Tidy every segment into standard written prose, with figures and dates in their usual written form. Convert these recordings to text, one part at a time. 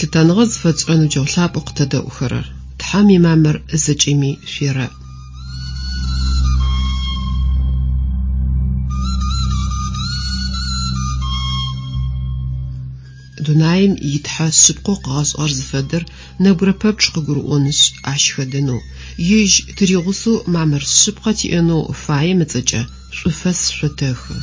Лъытэныгъэ зыфэтшӏырэ ныбджэгъу лъапӏэу къытэдэӏухэрэр, Тхьэм имамыр зэкӏэми шъуерэӏ. Дунаим и Тхьэ шъыпкъэу къыгъэшӏыгъэр зыфэдэр нэбгырэ пэпчъ къыгурыӏонышъ, ащ хэдэнэу, ежь тыригъусэу мамыр шъыпкъэ тиӏэнэу фаем ыцӏэкӏэ шӏуфэс шъотэхы.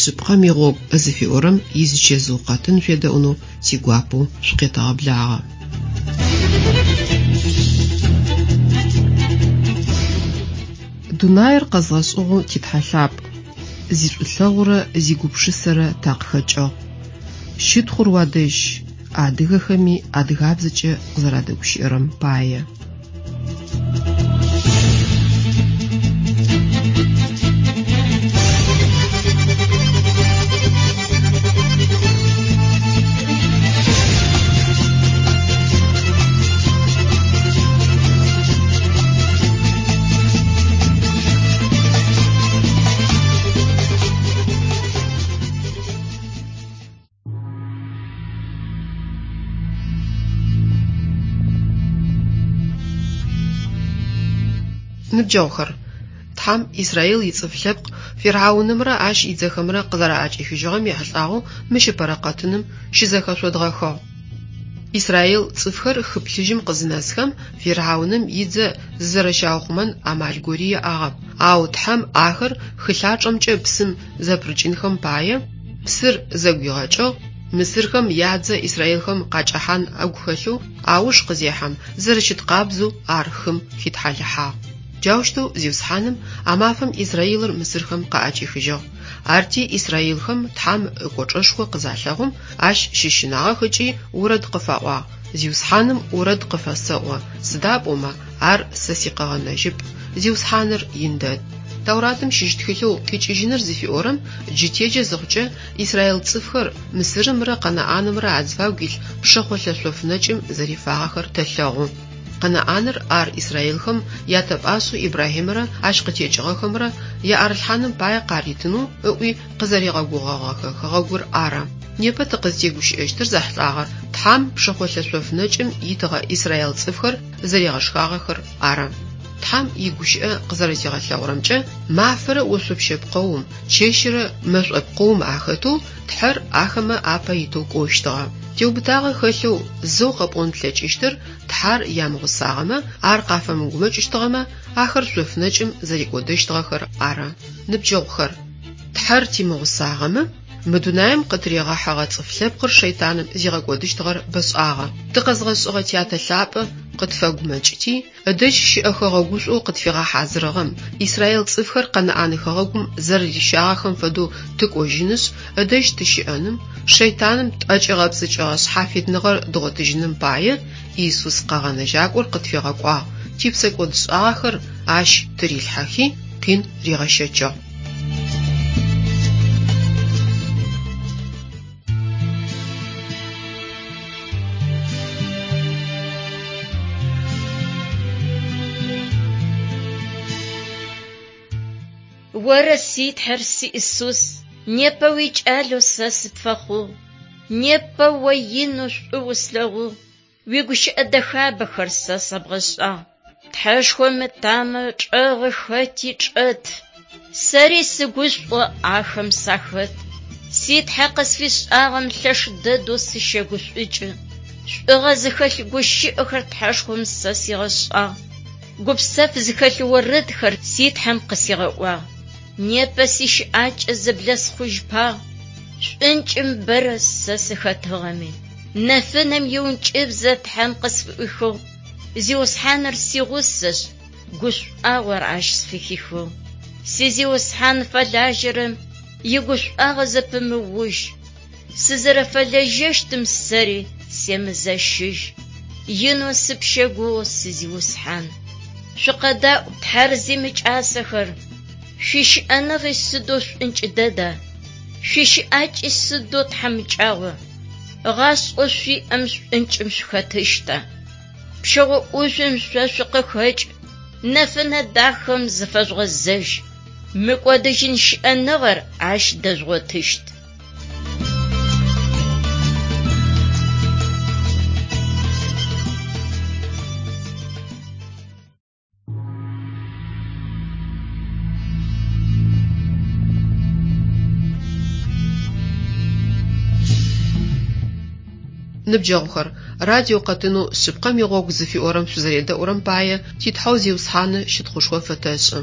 Шъыпкъэм игъогу зыфиӏорэм изычэзыу къэтын шъуедэӏунэу тигуапэу шъукъетэгъэблагъэ. Дунаир къэзгъэшӏыгъэу ти Тхьэ лъапӏ, зишӏулъэгъурэ зигупшысэрэ такъыхэкӏыгъ. Щытхъур уадэжь, адыгэхэми адыгабзэкӏэ къызэрадэгущыӏэрэм пае. Ныбджэгъухэр, Тхьэм Израил ицӏыф лъэпкъ Фирхьаунымрэ ащ идзэхэмрэ къызэраӏэкӏихыжьыгъэм ехьылӏагъэу мыщ ыпэрэ къэтыным щызэхэшъодгъэхыгъ. Израил цӏыфхэр хы Плъыжьым къызынэсхэм, Фирхьауным идзэ зызэрэщаухъумэн амал гори яӏагъэп. Ау Тхьэм ахэр хы лъачӏэмкӏэ псым зэпырыкӏынхэм пае, псыр зэгуигъэкӏыгъ, мысырхэм ядзэ израилхэм къакӏэхьан агу хэлъэу ауж къызехьэм, зэрэщыт къабзэу ар хым хитхьалыхьагъ. Джаущтэу Зиусхьаным а мафэм Израилыр мысырхэм къаӏэкӏихыжьыгъ. Арти израилхэм Тхьэм ыкӏочӏэшхо къызалъэгъум, ащ щыщынагъэх ыкӏи орэд къыфаӏуагъ: Зиусхьаным орэд къыфэсэӏо, сыда пӏомэ ар сэ сикъэгъэнэжьыпӏ, Зиусхьаныр ин дэд. Тауратым щыщ тхылъэу Къикӏыжьыныр зыфиӏорэм джы теджэ зыхъукӏэ, израил цӏыфхэр Мысырымрэ Къэнаӏанымрэ азыфагу илъ пшэхъолъэ шъоф нэкӏым зэрифагъэхэр тэлъэгъу. Къэнаӏаныр ар израилхэм ятэпӏашъэу Ибрахьимэрэ ащ къытекӏыгъэхэмрэ яӏэрылъхьаным пае къаритынэу ыӏуи къызэригъэгугъэгъэхэ хэгъэгур ары. Непэ тыкъызтегущыӏэщтыр зэхьылӏагъэр Тхьэм пшэхъолъэ шъоф нэкӏым итыгъэ израил цӏыфхэр зэригъэшхагъэхэр ары. Тхьэм игущыӏэ къызэрэтигъэлъэгъурэмкӏэ, мафэрэ ошъопщэ пкъэум, чэщырэ мэшӏо пкъэум ахэтэу Тхьэр ахэмэ апэ итэу кӏощтыгъэ. Теубытагъэ хэлъэу зэу къэпӏон плъэкӏыщтыр Тхьэр ямыгъусагъэмэ, ар къафэмыгумэкӏыщтыгъэмэ, ахэр шъоф нэкӏым зэрикӏодэщтыгъэхэр ары. Ныбджэгъухэр, Тхьэр тимыгъусагъэмэ, мы дунаим къытыригъэхьэгъэ цӏыф лъэпкъыр шэйтаным зигъэкӏодыщтыгъэр бэшӏагъэ. Тыкъэзгъэшӏыгъэ Тятэ лъапӏэ къытфэгумэкӏыти, ыдэжь щыӏэ хэгъэгушӏоу къытфигъэхьазырыгъэм, израил цӏыфхэр Къэнаӏан хэгъэгум зэрэрищагъэхэм фэдэу тыкӏожьынышъ, ыдэжь тыщыӏэным, шэйтаным тӏэкӏигъэпцӏыкӏыгъэ шъхьафитныгъэр дгъотыжьыным пае Иисус Къэгъэнэжьакӏор къытфигъэкӏуагъ, типсэкӏодшӏагъэхэр ащ тырилъхьэхи, къин ригъэщэчыгъ. Оры си Тхьэр, си Исус, непэ уикӏалэу сэ сыпфэхъугъ. Непэ о инэу шӏу услъэгъугъ, уигущыӏэ дэхабэхэр сэ сэбгъэшӏагъ. Тхьэшхом ытамэ чӏэгъы хэти чӏэт, сэри сыгушӏо ахэм сахэт. Си Тхьэ къысфишӏагъэм лъэш дэдэу сыщэгушӏукӏы. Шӏугъэ зыхэлъ гущыӏэхэр Тхьэшхом сэ сигъэшӏагъ. Гупсэф зыхэлъ орэдхэр си Тхьэм къысигъэӏуагъ. Непэ сищыӏакӏэ зэблэсхъужьпагъ, шӏункӏым бэрэ сэ сыхэтыгъэми. Нэфынэм иӏункӏыбзэ Тхьэм къысфыӏуихыгъ, Зиусхьаныр сигъусэшъ, гушӏуагъор ащ сфыхихыгъ. Си Зиусхьан фэлажьэрэм игушӏуагъэ зэпымыужь, сызэрэфэлэжьэщтым сэри семызэщыжь. Инэу сыпщэгугъы, си Зиусхьан. Шъукъэдаӏу, Тхьэр зимыкӏасэхэр, шъуищыӏэныгъи сыдэу шӏункӏ дэда, шъуищыӏакӏи сыдэу тхьамыкӏагъо, гъашӏэу шъуиӏэм шӏункӏым шъухэтыщта? Пщэгъо ӏужъум шъо шъукъыхэкӏ, Нэфынэ дахэм зыфэжъугъэзэжь, мыкӏодыжьын щыӏэныгъэр ащ дэжъугъотыщт. Ныбджэгъухэр, радио къэтынэу Шъыпкъэм игъогу зыфиӏорэм шъузэредэӏурэм пае ти Тхьэу Зиусхьаны щытхъушхо фэтэшӏы.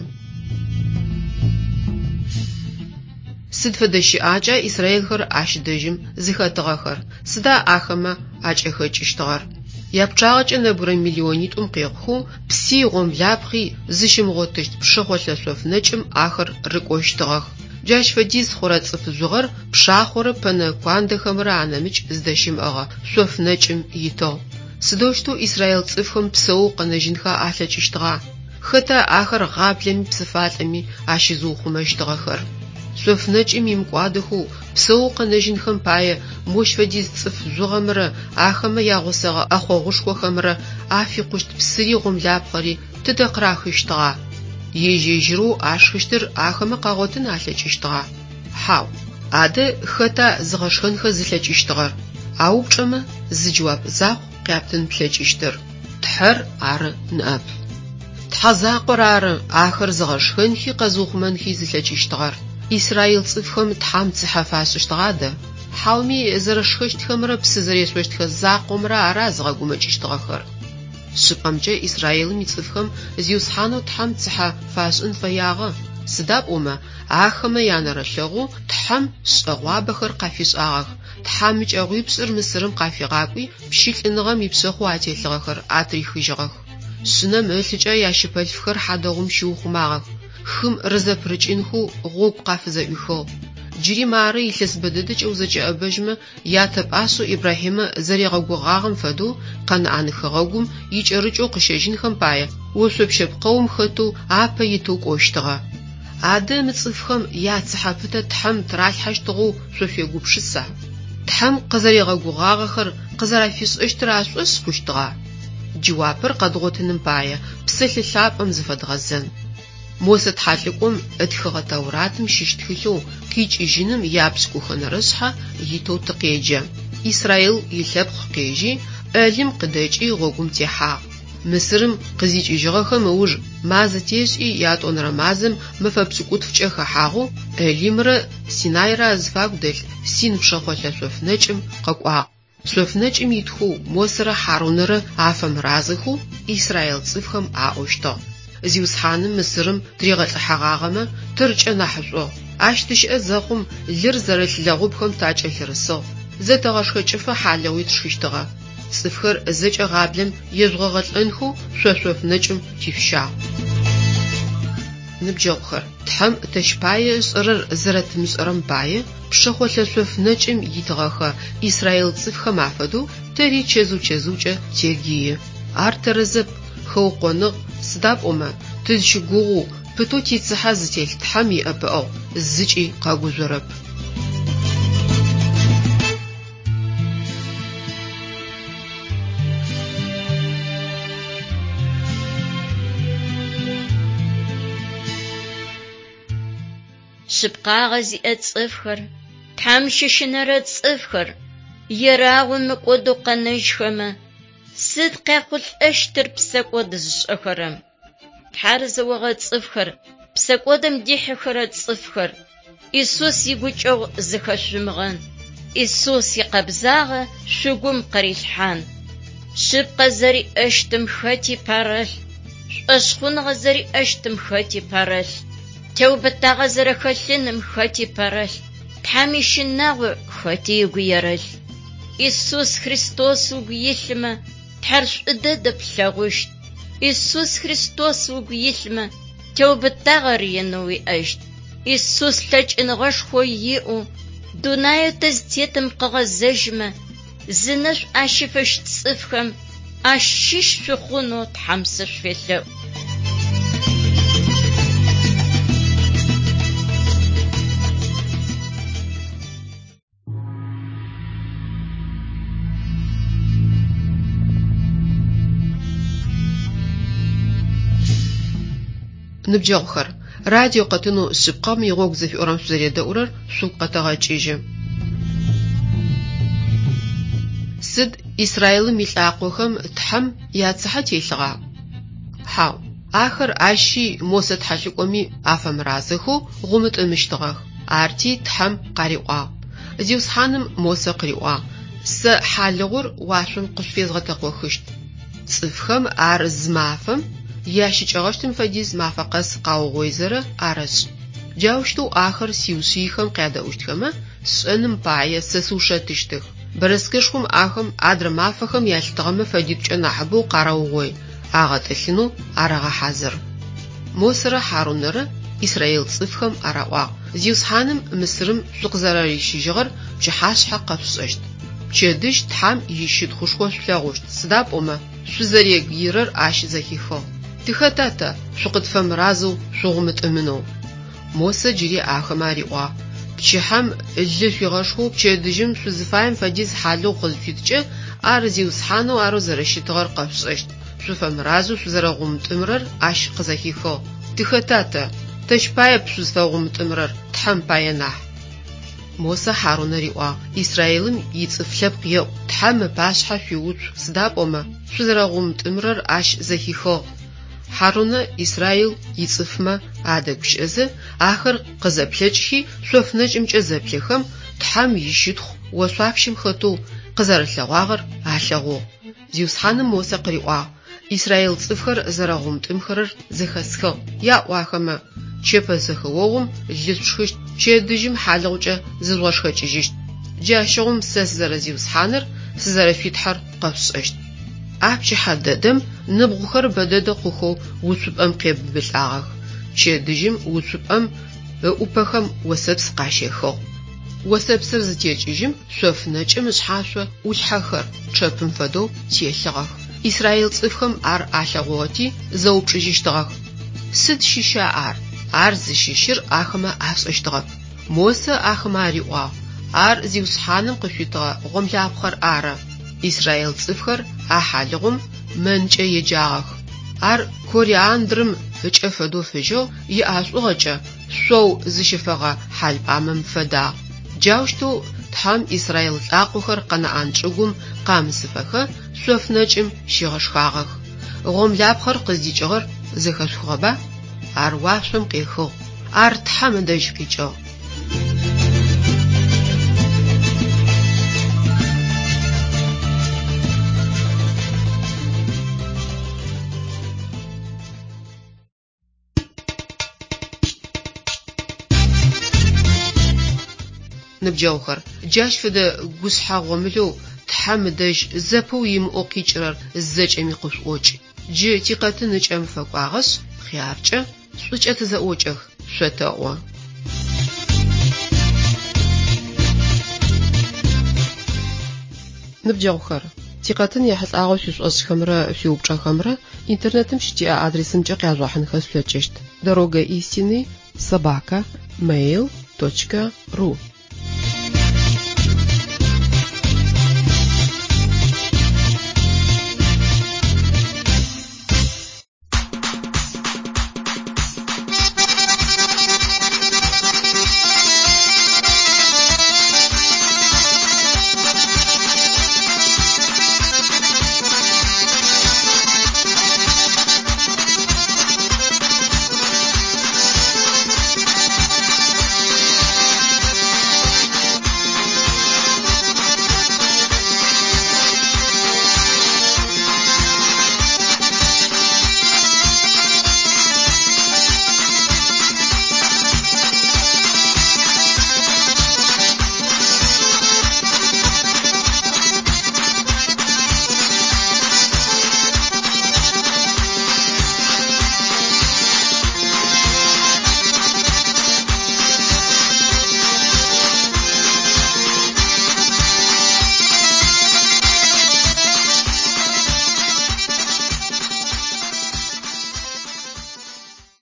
Сыд фэдэ щыӏакӏа исраилхэр ащ дэжьым зыхэтыгъэхэр, сыда ахэмэ акӏэхэкӏыщтыгъэр? Япчъагъэкӏэ нэбгырэ миллионитӏум къехъухэу пси гъомлапхъи зыщымыгъотыщт пшэхъолъэ шъоф нэкӏым ахэр рыкӏощтыгъэх. Джащ фэдиз хъурэ цӏыф жъугъэр пшахъорэ пэнэ куандэхэмрэ анэмыкӏ зыдэщымыӏэгъэ шъоф нэкӏым итыгъ. Сыдэущтэу израил цӏыфхэм псэоу къэнэжьынхэ алъэкӏыщтыгъа? Хэта ахэр гъаблэми псыфалӏэми ащызыухъумэщтыгъэхэр? Шъоф нэкӏым имыкӏуадэхэу псэоу къэнэжьынхэм пае мощ фэдиз цӏыф жъугъэмрэ ахэмэ ягъусэгъэ ӏэхъогъушхохэмрэ афикъущт псыри гъомлапхъэри тыдэ къырахыщтыгъа? Ежь-ежьырэу ашхыщтыр ахэмэ къагъотын алъэкӏыщтыгъа? Хьау. Адэ хэта зыгъэшхэнхэ зылъэкӏыщтыгъэр? А упчӏэмэ зы джэуап закъу къяптын плъэкӏыщтыр: Тхьэр ары ныӏэп. Тхьэ закъор ары ахэр зыгъэшхэнхи къэзыухъумэнхи зылъэкӏыщтыгъэр. Израил цӏыфхэм Тхьэм цыхьэ фашӏыщтыгъа адэ? Хьауми зэрэшхэщтхэмрэ псы зэрешъощтхэ закъомрэ ара зыгъэгумэкӏыщтыгъэхэр? Шъыпкъэмкӏэ Израилым ицӏыфхэм Зиусхьанэу Тхьэм цыхьэ фашӏын фэягъэ, сыда пӏомэ ахэмэ янэрылъэгъоу Тхьэм шӏэгъуабэхэр къафишӏагъэх, тхьамыкӏэгъуипшӏыр Мысырым къафигъакӏуи, пщылӏыныгъэм ипшъэхъу ателъыгъэхэр атырихыжьыгъэх. Шъынэм ылъыкӏэ ящыпэлъфхэр хьадэгъум щиухъумагъэх, хым рызэпырыкӏынхэу гъогу къафызэӏуихыгъ. Джыри мары илъэс бэ дэдэкӏэ узэкӏэӏэбэжьмэ, ятэ пӏашъэу Ибрахьимэ зэригъэгугъагъэм фэдэу Къэнаӏан хэгъэгум икӏэрыкӏэу къыщэжьынхэм пае ошъопщэ пкъэум хэтэу апэ итэу кӏощтыгъэ. Адэ мы цӏыфхэм яцыхьэ пытэ Тхьэм тыралъхьэщтыгъэу шъо шъуегупшыса? Тхьэм къызэригъэгугъагъэхэр къызэрафишӏэщтыр ашӏошъ хъущтыгъа? Джэуапыр къэдгъотыным пае Псэлъэ Лъапӏэм зыфэдгъэзэн. Мосэ тхьэлӏыкӏом ытхыгъэ Тауратым щыщ тхылъэу Къикӏыжьыным япшӏыкӏухэнэрэ шъхьэ итэу тыкъеджэ. Израил илъэпкъ къежьи, Элим къыдэкӏи гъогум техьагъ. Мысырым къызикӏыжьыгъэхэм ыуж мазэ тешӏи ятӏонэрэ мазэм мэфэ пшӏыкӏутфкӏэ хэхьагъэу Элимрэ Синайрэ азыфагу дэлъ Син пшэхъолъэ шъоф нэкӏым къэкӏуагъ. Шъоф нэкӏым итхэу Мосэрэ Хьарунэрэ афэмыразэхэу израил цӏыфхэм аӏощтыгъ: Зиусхьаным Мысырым тыригъэлӏыхьэгъагъэмэ, тэркӏэ нахьышӏугъ. Ащ тыщыӏэ зэхъум лыр зэрылъ лэгъупхэм такӏэлъырысыгъ, зэтэгъэшхэкӏыфэ хьалыгъуи тшхыщтыгъэ. Цӏыфхэр зэкӏэ гъаблэм ежъугъэгъэлӏэнхэу шъо шъоф нэкӏым тишъущагъ. Ныбджэгъухэр, Тхьэм тэщ пае ышӏэрэр зэрэтымышӏэрэм пае, пшэхъолъэ шъоф нэкӏым итыгъэхэ израил цӏыфхэм афэдэу тэри чэзыу-чэзыукӏэ тегие. Ар тэрэзэп, хэукъоныгъ, сыда пӏомэ, тызщыгугъэу, пытэу тицыхьэ зытелъ Тхьэм иӏэпыӏэгъу зыкӏи къэгужъорэп. Шъыпкъагъэ зиӏэ цӏыфхэр, Тхьэм щыщынэрэ цӏыфхэр ерагъэу мыкӏодэу къэнэжьхэмэ, сыд къяхъулӏэщтыр псэкӏод зышӏэхэрэм? Тхьэр зэогъэ цӏыфхэр, псэкӏодым дихьыхэрэ цӏыфхэр, Исус игукӏэгъу зыхэшъумыгъэн, Исус икъэбзагъэ шъугум къырилъхьан. Шъыпкъэ зэриӏэщтым хэти пэрэлъ, шӏошъхъуныгъэ зэриӏэщтым хэти пэрэлъ, теубытагъэ зэрэхэлъыным хэти пэрэлъ, Тхьэм ищынагъо хэти ыгу ерэлъ. Исус Христос угу илъымэ, Тхьэр шӏу дэдэ плъэгъущт. Исус Христос угу илъымэ, теубытагъэр инэу уиӏэщт. Исус лъэкӏыныгъэшхо иӏэу дунаеу тызтетым къыгъэзэжьымэ, зынэшӏу ащыфэщт цӏыфхэм ащыщ шъухъунэу Тхьэм сышъуфелъэӏу. Ныбджэгъухэр, радио къэтынэу Шъыпкъэм игъогу зыфиӏорэм шъузэредэӏурэр шъугу къэтэгъэкӏыжьы. Сыд Израилым илӏакъохэм Тхьэм яцыхьэ телъыгъа? Хьау, ахэр ащи Мосэ тхьэлӏыкӏоми афэмыразэхэу гъумытӏымыщтыгъэх. Арти Тхьэм къариӏуагъ. Зиусхьаным Мосэ къыриӏуагъ: Сэ хьалыгъур уашъом къышъуфезгъэтэкъохыщт. Цӏыфхэм ар зы мафэм ящыкӏэгъэщтым фэдиз мафэ къэс къаугъоизэрэ арэшӏ. Джаущтэу ахэр сиушъыйхэм къядэӏущтхэмэ, сшӏэным пае сэ сыушэтыщтых. Бэрэскэшхом ахэм адрэ мафэхэм ялъытыгъэмэ фэдитӏукӏэ нахьыбэу къарэугъой, агъэтӏылъынэу арэгъэхьазыр. Мосэрэ Хьарунэрэ израил цӏыфхэм араӏуагъ: Зиусхьаным Мысырым шъукъызэрэрищыжьыгъэр пчыхьашъхьэ къэшъушӏэщт. Пчэдыжь Тхьэм ищытхъушхо шъулъэгъущт, сыда пӏомэ шъузэрегыирэр ащ зэхихыгъ. Тыхэта тэ шъукъытфэмыразэу шъугъумытӏымынэу? Мосэ джыри ахэмэ ариӏуагъ: Пчыхьэм лы шъуигъэшхэу пчэдыжьым шъузыфаем фэдиз хьалыгъу къызышъуиткӏэ, ар Зиусхьанэу арэу зэрэщытыгъэр къэшъушӏэщт. Шъуфэмыразэу шъузэрэгъумытӏымырэр ащ къызэхихыгъ. Тыхэта тэ? Тэщ паеп шъузфэгъумытӏымырэр, Тхьэм пае нахь. Мосэ Хьарунэ риӏуагъ: Израилым ицӏыф лъэпкъ еӏу, Тхьэм ыпашъхьэ шъуиуцу, сыда пӏомэ шъузэрэгъумытӏымырэр ащ зэхихыгъ. Хьарунэ Израил ицӏыфмэ адэгущыӏэзэ, ахэр къызэплъэкӏхи, шъоф нэкӏымкӏэ зэплъэхэм, Тхьэм ищытхъу ошъуапщэм хэтэу къызэрэлъэгъуагъэр алъэгъугъ. Зиусхьаным Мосэ къыриӏуагъ: Израил цӏыфхэр зэрэгъумытӏымхэрэр зэхэсхыгъ. Яӏу ахэмэ: Чэпэзэхэогъум лы шъушхыщт, пчэдыжьым хьалыгъукӏэ зыжъугъэшхэкӏыжьыщт. Джащыгъум сэ сызэрэ-Зиусхьаныр, сызэрэшъуи Тхьэр къэшъушӏэщт. А пчыхьэ дэдэм ныбгъухэр бэдэдэ хъухэу уцупӏэм къебыбылӏагъэх. Пчэдыжьым уцупӏэм ыӏупэхэм осэпс къащехыгъ. Осэпсыр зытекӏыжьым, шъоф нэкӏым ышъхьашъо ӏулъхьэхэр, чъэпым фэдэу, телъыгъэх. Израил цӏыфхэм ар алъэгъугъэти, зэупчӏыжьыщтыгъэх: Сыд щыща ар? Ар зыщыщыр ахэмэ ашӏэщтыгъэп. Мосэ ахэмэ ариӏуагъ, Ар Зиусхьаным къышъуитыгъэ гъомлапхъэр ары. Израил цӏыфхэр а хьалыгъум мэнкӏэ еджагъэх. Ар кориандрым ыкӏэ фэдэу фыжьыгъ, иӏэшӏугъэкӏэ шъоу зыщыфэгъэ хьалпӏамэм фэдагъ. Джаущтэу Тхьэм израил лӏакъохэр Къэнаӏан чӏыгум къамысыфэхэ шъоф нэкӏым щигъэшхагъэх. Гъомлапхъэр къыздикӏыгъэр зэхэшъухыгъэба? Ар уашъом къехыгъ. Ар Тхьэм ыдэжь къикӏыгъ. Ныбджэгъухэр, джащ фэдэ гушъхьэ гъомылэу Тхьэм ыдэжь зэпыу имыӏэу къикӏырэр зэкӏэми къышъуӏокӏ. Джы тикъэтын ыкӏэм фэкӏуагъэшъ, хъяркӏэ, шӏукӏэ тызэӏокӏэх, шъотэӏо. Ныбджэгъухэр, тикъэтын ехьылӏагъэу шъуишӏошӏхэмрэ шъуиупчӏэхэмрэ интернетым щытиӏэ адресымкӏэ къяжъугъэхьынхэ шъулъэкӏыщт: Дорога истины собака mail точка ру.